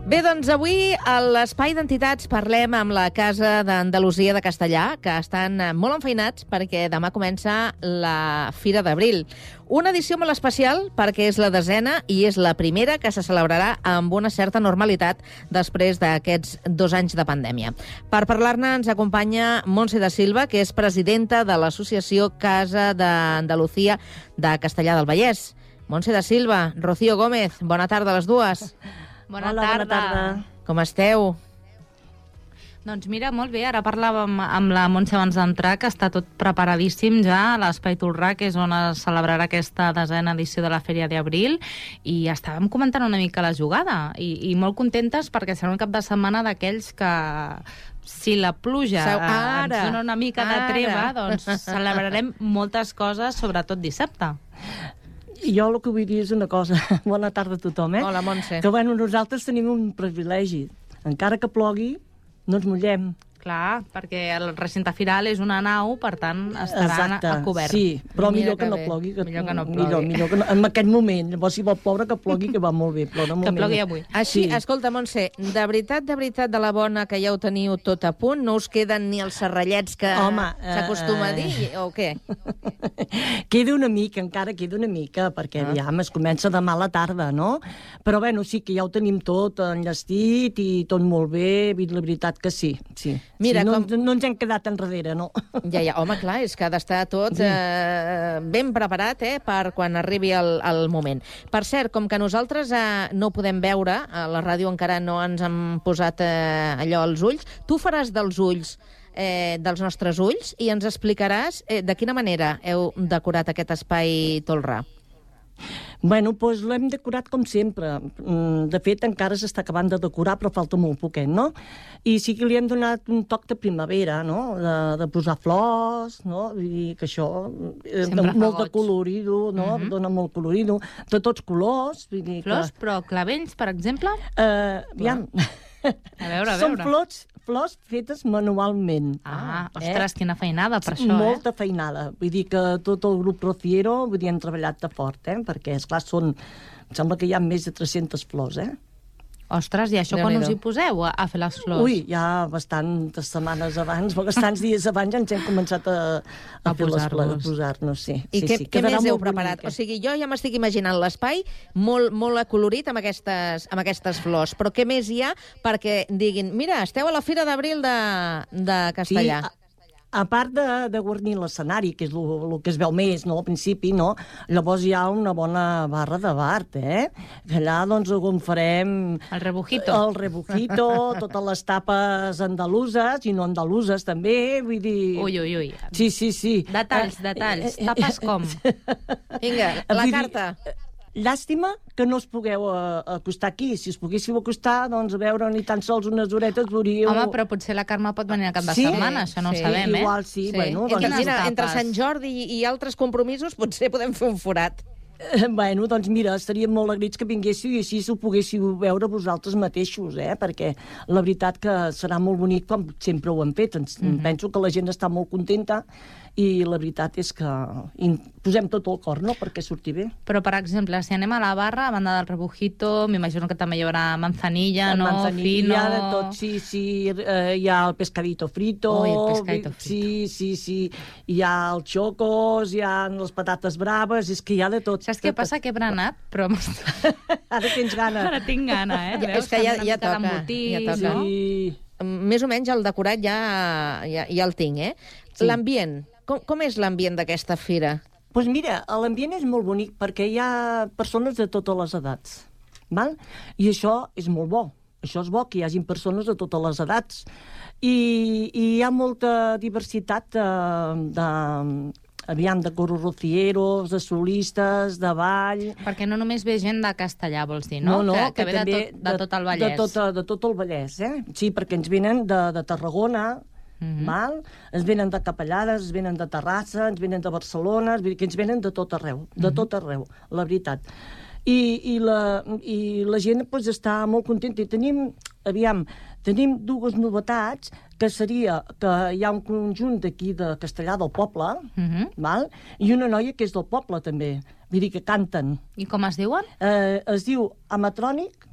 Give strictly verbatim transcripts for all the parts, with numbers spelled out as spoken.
Bé, doncs avui a l'Espai d'Entitats parlem amb la Casa d'Andalusia de Castellà, que estan molt enfeinats perquè demà comença la Fira d'Abril. Una edició molt especial perquè és la desena i és la primera que se celebrarà amb una certa normalitat després d'aquests dos anys de pandèmia. Per parlar-ne ens acompanya Montse da Silva, que és presidenta de l'Associació Casa d'Andalusia de Castellà del Vallès. Montse da Silva, Rocío Gómez, bona tarda a les dues. Bona Hola, tarda. bona tarda. Com esteu? Doncs mira, molt bé. Ara parlàvem amb la Montse abans d'entrar, que està tot preparadíssim ja a l'Espai Tolrà, que és on es celebrarà aquesta desena edició de la Fèria d'Abril, i estàvem comentant una mica la jugada, i, i molt contentes perquè serà un cap de setmana d'aquells que, si la pluja Seu- eh, ara, ens dona una mica de ara. treva, doncs celebrarem moltes coses, sobretot dissabte. Jo el que vull dir és una cosa. Bona tarda a tothom, eh? Hola, Montse. Que, bueno, nosaltres tenim un privilegi. Encara que plogui, no ens mullem. Clar, perquè el recinte firal és una nau, per tant, estaran Exacte, a cobert. sí, però Mira millor que que no bé. plogui. Que, Millor que no plogui. Millor, millor que no, en aquest moment. Llavors, si vol ploure, que plogui, que va molt bé. Però no Que plogui avui. Així, Sí. escolta, Montse, de veritat, de veritat, de la bona, que ja ho teniu tot a punt, no us queden ni els serrallets que Home, s'acostuma a eh, dir, o què? Queda una mica, encara queda una mica, perquè Ah. aviam, es comença demà a la tarda, no? Però, bueno, sí que ja ho tenim tot enllestit i tot molt bé, i la veritat que sí, sí. Mira, sí, no, com- no ens hem quedat enrere, no? Ja, ja, home, clar, és que ha d'estar tot eh, ben preparat eh, per quan arribi el, el moment. Per cert, com que nosaltres eh, no ho podem veure, a la ràdio encara no ens han posat eh, allò als ulls, tu faràs dels ulls eh, dels nostres ulls i ens explicaràs eh, de quina manera heu decorat aquest espai Tolrà. Bueno, doncs l'hem decorat com sempre. Mm, De fet, encara s'està acabant de decorar, però falta molt poquet, no? I sí que li hem donat un toc de primavera, no? De, de posar flors, no? Vull dir que això... eh, Sempre fa molt de goig. colorido, no? Mhm. Dona molt colorido. De tots colors, vull dir Flors, que... però clavells, per exemple? Eh, aviam. A veure, a Són veure. flors, flors fetes manualment. Ah, Eh? ostres, quina feinada per això, Molta feinada. Vull dir que tot el grup Rociero vull dir, han treballat de fort, eh? Perquè, esclar, són... Em sembla que hi ha més de tres-centes flors, eh? eh? Ostres, i això quan Déu-n'hi-do. us hi poseu a, a fer les flors? Ui, ja bastantes setmanes abans, bastants dies abans ja ens hem començat a, a, A fer les flors, a posar-los. posar-nos, sí. I sí, què, sí. què Quedarà més heu molt preparat? bonic, O sigui, jo ja m'estic imaginant l'espai molt, molt acolorit amb aquestes, amb aquestes flors, però què més hi ha perquè diguin, mira, esteu a la Fira d'Abril de, de Castellà. Sí, a, a part de, de guarnir l'escenari, que és el que es veu més, no?, al principi, no? Llavors hi ha una bona barra de Bart, eh? Que allà, doncs, on farem... El rebujito. El rebujito, totes les tapes andaluses, i no andaluses, també, vull dir... Ui, ui, ui. Sí, sí, sí. Detalls, detalls. Tapes com? Vinga, la Vull dir, carta. Llàstima que no us pugueu eh, acostar aquí. Si us poguéssiu acostar, doncs a veure ni tan sols unes horetes veuríeu... Home, però potser la Carme pot venir a cap de Sí, setmana, això no sí, ho sabem, eh? igual sí, bueno, entre, doncs- mira, entre Tapes. Sant Jordi i, i altres compromisos potser podem fer un forat. Eh, Bueno, doncs mira, estaríem molt agraïts que vinguéssiu i així ho poguéssiu veure vosaltres mateixos, eh? Perquè la veritat que serà molt bonic com sempre ho hem fet. Ens, mm-hmm. Penso que la gent està molt contenta i la veritat és que hi posem tot el cor, no?, perquè surti bé. Però, per exemple, si anem a la barra, a banda del rebujito, m'imagino que també hi haurà manzanilla, El no? manzanilla, Fino... hi ha de tot, sí, sí, eh, hi ha el pescadito frito, Ui, el pescadito frito. sí, sí, sí, hi ha els xocos, hi ha les patates braves, és que hi ha de tot. Saps què passa? Que he berenat, però Ara tens gana. ara tinc gana, eh? Ja, Veus és que ja- una ja mica toca, d'embotits, ja toca. no? Sí. Més o menys el decorat ja, ja, ja el tinc, eh? Sí. L'ambient. Com, com és l'ambient d'aquesta fira? Doncs pues mira, l'ambient és molt bonic perquè hi ha persones de totes les edats, val? I això és molt bo. Això és bo, que hi hagin persones de totes les edats. I, i hi ha molta diversitat de, de, aviam, de coros rocieros, de solistes, de ball... Perquè no només ve gent de Castellà, vols dir, no? No, no, que, que ve de també tot, de tot el Vallès. De tot, de tot el Vallès, eh? Sí, perquè ens venen de, de Tarragona, Mhm. val? Ens venen de Capellades, ens venen de Terrassa, ens venen de Barcelona, ens venen, que ens venen de tot arreu, de tot arreu, la veritat. I, i, la, i la gent pues, està molt contenta. I tenim, aviam, tenim dues novetats, que seria que hi ha un conjunt d'aquí de Castellà del poble, Mhm. val? I una noia que és del poble, també. Vull dir que canten. I com es diuen? Eh, es diu Amatrònic,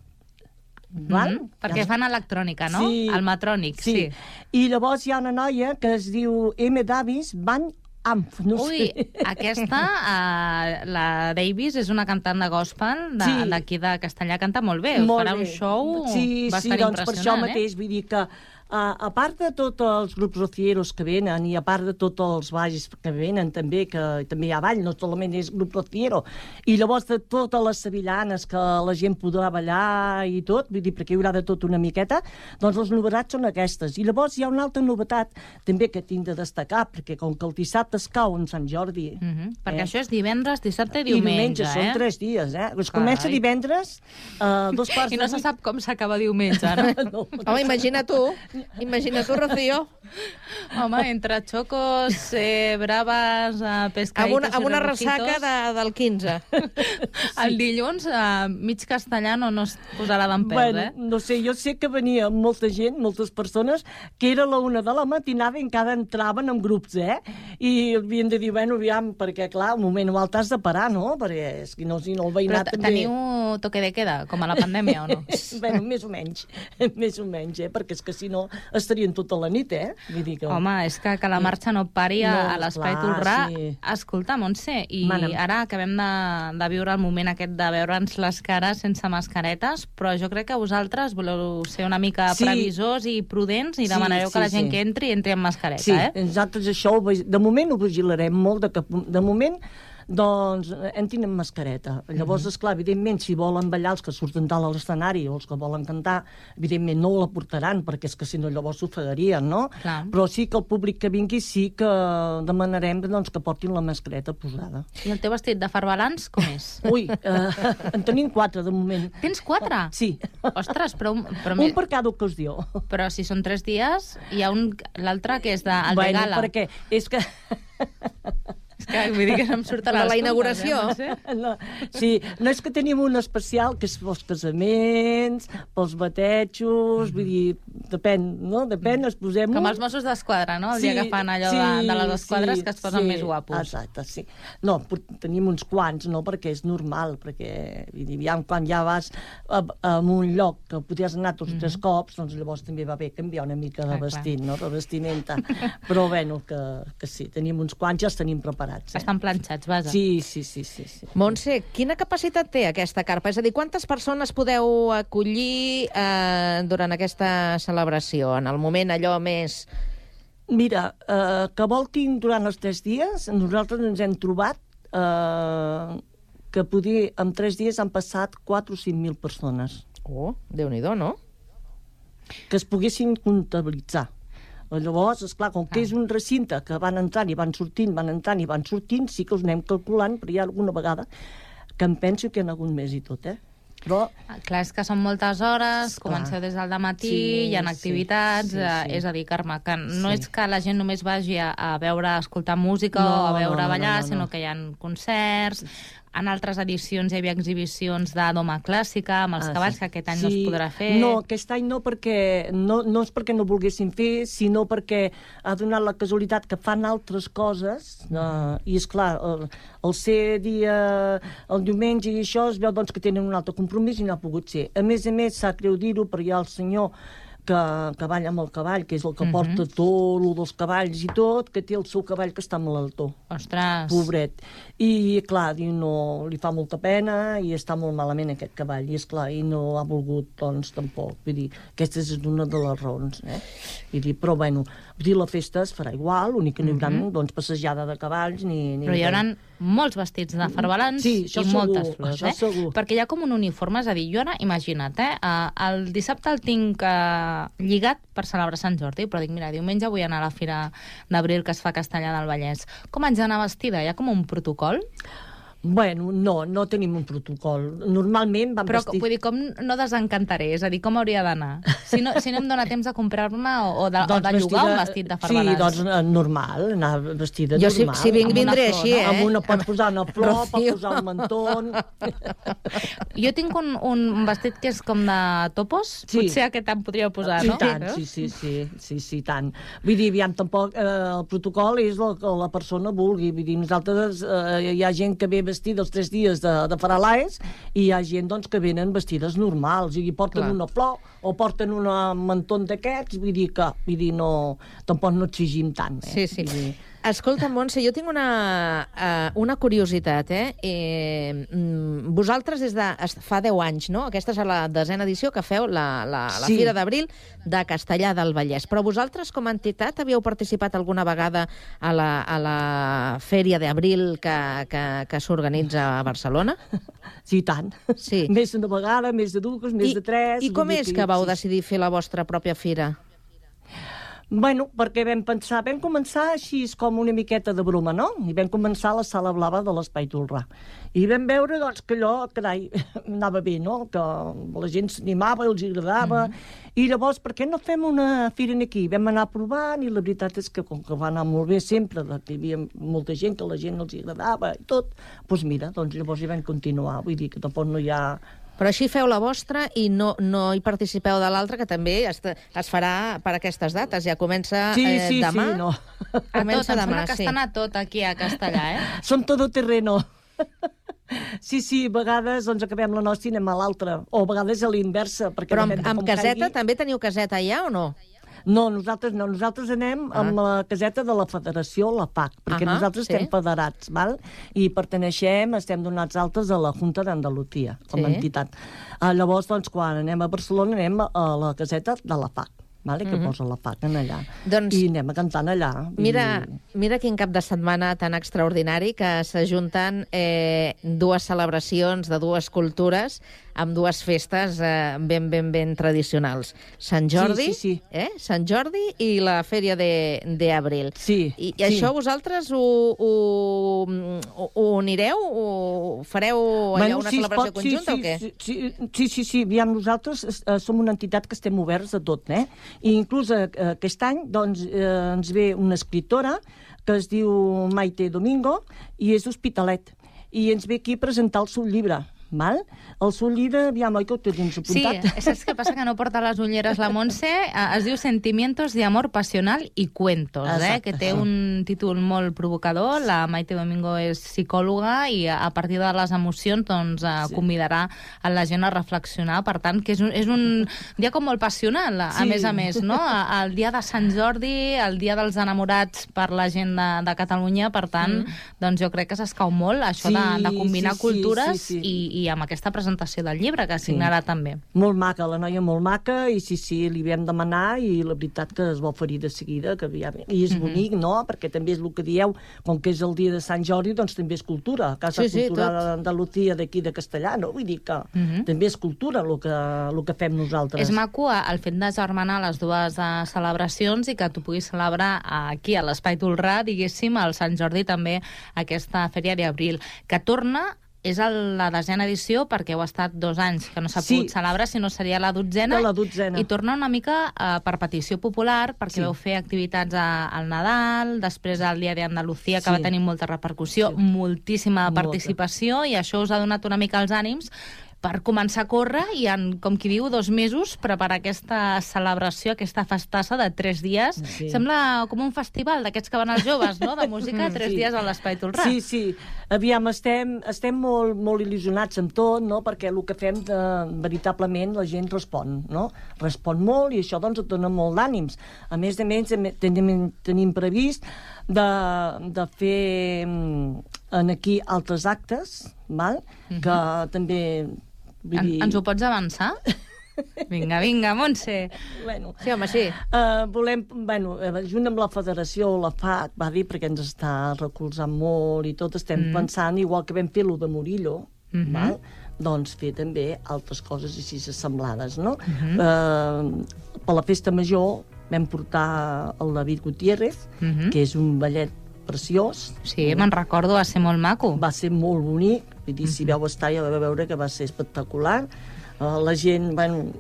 val? Mm-hmm. Perquè fan electrònica, no? Sí. El matrònic, sí. sí. I llavors hi ha una noia que es diu M. Davis Van Amp, no Ui, sé. aquesta, uh, la Davis, és una cantant de gospel d'aquí de, Sí. de Castellà, canta molt bé. Molt Farà bé. un show sí, bastant sí, doncs per això impressionant, mateix, eh? vull dir que Uh, a part de tots els grups rocieros que venen i a part de tots els balls que venen també, que també hi ha ball, no solament és grup rociero, i llavors de totes les sevillanes que la gent podrà ballar i tot, vull dir, perquè hi haurà de tot una miqueta, doncs les novetats són aquestes. I llavors hi ha una altra novetat també que tinc de destacar, perquè com que el dissabte es cau en Sant Jordi... Uh -huh. Perquè eh? això és divendres, dissabte i I diumenge, diumenge, eh? són tres dies, eh? Es Carai. comença divendres, uh, dos quarts I no de se vuit. sap com s'acaba diumenge, no? no. Home, imagina tu, imagina tu, Rocío, Home, entre xocos, eh, braves, eh, pescaditos amb una, amb i una rebujito, ressaca de, del quinze. el dilluns, eh, mig castellano no es posarà d'en pèl, Bueno, eh? no sé, jo sé que venia molta gent, moltes persones, que era la una de la matinada i encara entraven en grups, eh? I havien de dir, bueno, aviam, perquè, clar, un moment o altre has de parar, no? Perquè és que no, si no el Però veïnat t- també... teniu toque de queda, com a la pandèmia, o no? bueno, més o menys, més o menys, eh? Perquè és que si no estarien tota la nit, eh? Vull dir que... Home, és que, que la marxa no pari a, No, a l'Espai clar, Tolrà. sí. Escolta, Montse, i Mana'm. ara acabem de, de viure el moment aquest de veure'ns les cares sense mascaretes, però jo crec que vosaltres voleu ser una mica Sí. previsors i prudents i Sí, demanareu que sí, la gent sí. que entri, entri amb mascareta, Sí, eh? nosaltres això, ho vig- de moment ho vigilarem molt, de, que, de moment doncs entrin amb mascareta. Llavors, Mhm. esclar, evidentment, si volen ballar els que surten dalt a l'escenari o els que volen cantar, evidentment no la portaran, perquè és que si no llavors s'ofegarien, no? Clar. Però sí que el públic que vingui sí que demanarem doncs, que portin la mascareta posada. I el teu vestit de farbalans, com és? Ui, eh, en tenim quatre de moment. Tens quatre? Sí. Ostres, però... un- però, Un per cada ocasió. però si són tres dies, hi ha un... L'altre que és de, el bueno, de gala. perquè és que... És que vull dir que no em surten De les la comptes, inauguració. Eh, Montse? No, sí, no és que tenim un especial que és pels casaments, pels batejos, vull dir, depèn, no? Depèn, es posem... Com els Mossos d'Esquadra, no? El dia que fan allò de, de les esquadres que es posen sí, més guapos. Exacte, sí. No, però tenim uns quants, no? Perquè és normal, perquè vull dir, ja, quan ja vas a, a un lloc que podries anar tots mm -hmm. tres cops, doncs llavors també va bé canviar una mica de Ah, vestit, no? De vestimenta. Però bueno, que, que sí, tenim uns quants, ja els tenim preparats. Eh? Estan planxats, vaja. Sí, sí, sí, sí, sí. Montse, quina capacitat té aquesta carpa? És a dir, quantes persones podeu acollir eh, durant aquesta celebració, en el moment allò més... Mira, eh, que voltin durant els tres dies, nosaltres ens hem trobat eh, que poder, en tres dies han passat quatre o cinc mil persones Oh, Déu-n'hi-do, no? que es poguessin comptabilitzar. Llavors, esclar, com que és un recinte que van entrant i van sortint, van entrant i van sortint, sí que us anem calculant, però hi ha alguna vegada que em penso que hi ha hagut més i tot, eh? Però Ah, clar, és que són moltes hores, Clar. comenceu des del matí, Sí, hi ha sí, activitats, sí, eh, sí. és a dir, Carme, que no Sí. és que la gent només vagi a, a veure, a escoltar música No, o a veure no, no, ballar, no, no. sinó que hi ha concerts. En altres edicions hi havia exhibicions de doma clàssica, amb els Ah, cavalls, sí. que aquest any no es podrà fer. No, aquest any no, perquè no, no és perquè no volguessin fer, sinó perquè ha donat la casualitat que fan altres coses, uh, i és clar, el, el ser dia, el diumenge i això, es veu doncs, que tenen un altre compromís i no ha pogut ser. A més a més, sap greu dir-ho, però hi ha el senyor que, que balla amb el cavall, que és el que Mhm. porta tot, el dels cavalls i tot, que té el seu cavall que està malaltó. Ostres. Pobret. I, clar, diu, no, li fa molta pena i està molt malament aquest cavall. I, esclar, i no ha volgut, doncs, tampoc. Vull dir, aquesta és una de les raons, eh? Vull dir, però, bueno, vull dir, la festa es farà igual, l'únic que no hi haurà, Mhm. doncs, passejada de cavalls ni... ni Però hi haurà molts vestits de farbalans Sí, això i segur, moltes flors, això eh? segur. Perquè hi ha com un uniforme, és a dir, jo ara, imagina't, eh? eh, El dissabte el tinc eh, lligat per celebrar Sant Jordi, però dic, mira, diumenge vull anar a la Fira d'Abril que es fa a Castellà del Vallès. Com haig d'anar vestida? Hi ha com un protocol? Bueno, no, no tenim un protocol. Normalment vam Però vestir... vull dir, com no desencantaré? És a dir, com hauria d'anar? Si no, si no em dóna temps de comprar-me o, o de, o de llogar un vestit de farbalans. Sí, doncs eh, normal, anar vestida Jo, si, normal. si vinc, Amb una vindré flor, així, no? eh? Amb una, pots posar una flor, Rocío. pots posar un mantón... Jo tinc un, un vestit que és com de topos. Sí. Potser aquest em podríeu posar, Sí, no? tant, sí, sí, sí, sí, sí, tant. Vull dir, aviam, tampoc, eh, el protocol és el que la persona vulgui. Vull dir, nosaltres, eh, hi ha gent que ve vestir dels tres dies de, de Faralaes, i hi ha gent doncs, que venen vestides normals, i porten Clar. una flor o porten un mantó d'aquests, vull dir que vull dir, no, tampoc no exigim tant. Eh? Sí, sí. Vull dir... Escolta, Montse, jo tinc una, uh, una curiositat, eh? eh? Vosaltres des de fa deu anys, no? Aquesta és la desena edició que feu la, la, la Sí. Fira d'Abril de Castellar del Vallès. Però vosaltres, com a entitat, havíeu participat alguna vegada a la, a la Fèria d'Abril que, que, que s'organitza a Barcelona? Sí, i tant. Sí. Més d'una vegada, més de dues, més I, de tres... I com vull dir és que vau sí. decidir fer la vostra pròpia fira? Bueno, perquè vam pensar, vam començar així com una miqueta de broma, no? I vam començar a la sala blava de l'Espai Tolrà. I vam veure, doncs, que allò, carai, anava bé, no? Que la gent s'animava, els agradava. Mm-hmm. I llavors, per què no fem una fira aquí? Vam anar provant i la veritat és que com que va anar molt bé sempre, que hi havia molta gent, que la gent els agradava i tot, doncs mira, doncs llavors hi vam continuar. Vull dir que tampoc no hi ha... Però així feu la vostra i no, no hi participeu de l'altra, que també es, es farà per aquestes dates. Ja comença Sí, eh, sí, demà. sí, no. A tot, Comença em demà, sembla que sí. estan a tot aquí a Castellà, eh? Som todoterreno. Sí, sí, a vegades doncs, acabem la nostra i anem a l'altra. O a vegades a l'inversa. Perquè Però amb, depèn de amb com caseta, caigui. també teniu caseta allà o no? No, nosaltres no. Nosaltres anem Ah. amb la caseta de la federació, la F A C, perquè Ahà, nosaltres sí. estem federats, val? I perteneixem, estem donats altes a la Junta d'Andalusia, com a Sí. entitat. Ah, llavors, doncs, quan anem a Barcelona, anem a la caseta de la F A C, vale? Que Mhm. posa la F A C en allà. Doncs- I anem a cantant allà. Mira, I... mira quin cap de setmana tan extraordinari que s'ajunten eh, dues celebracions de dues cultures amb dues festes eh, ben, ben, ben tradicionals. Sant Jordi, Sí, sí, sí. Eh? Sant Jordi i la Fèria d'Abril. Sí, I, I sí. això vosaltres ho, ho, ho, ho unireu? Ho fareu allà una sí, es celebració pot, conjunta sí, o què? Sí, sí, sí, sí, sí. Aviam, nosaltres eh, som una entitat que estem oberts a tot, eh? I inclús eh, aquest any doncs, eh, ens ve una escriptora que es diu Maite Domingo i és d'Hospitalet. I ens ve aquí a presentar el seu llibre. Val? El seu llibre, aviam, oi que ho tens Sí, apuntat? saps què passa? Que no porta les ulleres la Montse. Eh, Es diu Sentimientos de amor pasional i cuentos, eh? Exacte. Que té un títol molt provocador. La Maite Domingo és psicòloga i a partir de les emocions doncs, eh, Sí. convidarà a la gent a reflexionar. Per tant, que és un, és un dia com molt passional, a Sí. més a més, no? A- El dia de Sant Jordi, el dia dels enamorats per la gent de, de Catalunya, per tant, mm. doncs jo crec que s'escau molt això Sí, de, de combinar sí, sí, cultures sí, sí. i, i amb aquesta presentació del llibre que signarà Sí. també. Molt maca, la noia molt maca, i sí, sí, li vam demanar, i la veritat que es va oferir de seguida, que aviam, i és Mhm. bonic, no?, perquè també és el que dieu, com que és el dia de Sant Jordi, doncs també és cultura, Casa Sí, sí, Cultural tot. d'Andalusia d'aquí de Castellà, no? Vull dir que Mhm. també és cultura el que, el que fem nosaltres. És maco eh, el fet de germanar les dues uh, celebracions i que tu puguis celebrar uh, aquí a l'Espai Tolrà, diguéssim, al Sant Jordi també aquesta Fèria d'Abril, que torna és el, la desena edició perquè heu estat dos anys que no s'ha Sí. pogut celebrar, si no seria la dotzena. De la dotzena. I torna una mica uh, per petició popular, perquè Sí. vau fer activitats a, al Nadal, després al Dia d'Andalusia, que Sí. va tenir molta repercussió, Sí. moltíssima Molta. participació, i això us ha donat una mica els ànims per començar a córrer i en, com qui diu, dos mesos preparar aquesta celebració, aquesta festassa de tres dies. Sí. Sembla com un festival d'aquests que van els joves, no?, de música, tres Sí. dies a l'Espai Tolrà. Sí, sí. Aviam, estem, estem molt, molt il·lusionats amb tot, no?, perquè el que fem, de, veritablement, la gent respon, no? Respon molt i això, doncs, et dona molt d'ànims. A més a més, em- tenim, tenim previst de, de fer mm, en aquí altres actes, val? Mhm. Que també... Vull En, dir... ens ho pots avançar? Vinga, vinga, Montse. Bueno, Sí, home, sí. Uh, volem, bueno, eh, junt amb la federació, la F A C, va dir, perquè ens està recolzant molt i tot, estem Mm. pensant, igual que vam fer lo de Murillo, Mhm. val? Doncs fer també altres coses així assemblades, no? Mhm. Uh, per la festa major vam portar el David Gutiérrez, Mhm. que és un ballet preciós. Sí, me'n recordo, va ser molt maco. Va ser molt bonic, vull dir, si vau estar ja vau veure que va ser espectacular. Uh, la gent, bueno,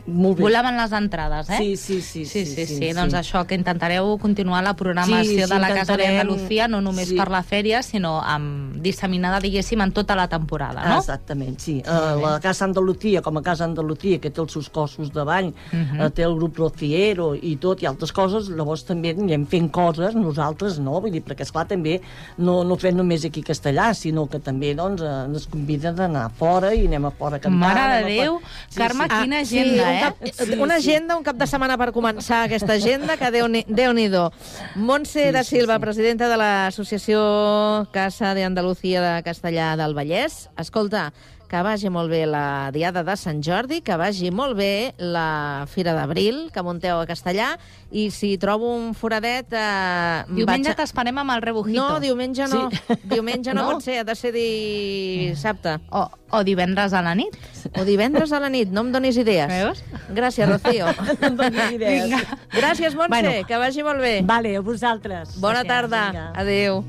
Molt bé. Volaven les entrades, eh? Sí, sí, sí. Sí, sí, sí. sí, sí. Doncs sí. això, que intentareu continuar la programació Sí, sí, de la Casa intentarem, d'Andalucía, no només sí. per la fèria, sinó amb, disseminada, diguéssim, en tota la temporada, no? Exactament, sí. Uh, la Casa Andalucía, com a Casa Andalucía, que té els seus cossos de bany, uh -huh. uh, té el grup Rociero i tot, i altres coses, llavors també anem fent coses, nosaltres no, vull dir, perquè esclar també no, no fem només aquí a Castellà, sinó que també doncs, eh, ens conviden d'anar fora i anem a fora a cantar. Mare de Déu, sí, Carme, sí. quina Ah, agenda, sí, eh? un cap, Sí, una sí. agenda, un cap de setmana per començar aquesta agenda, que Déu-n'hi- Déu-n'hi-do. Montse Sí, da sí, Silva, sí. presidenta de l'Associació Casa de Andalucía de Castellà del Vallès. Escolta, que vagi molt bé la Diada de Sant Jordi, que vagi molt bé la Fira d'Abril, que munteu a Castellà, i si trobo un foradet... Eh, Diumenge vaig a... t'esperem amb el rebujito. No, diumenge no. Sí. Diumenge no, No? pot ser, ha de ser dissabte. O, o divendres a la nit. O divendres a la nit, no em donis idees. Veus? Gràcies, Rocío. No em donis idees. Gràcies, Montse, Bueno. que vagi molt bé. Vale, a vosaltres. Bona Gràcies, tarda. vinga. Adéu.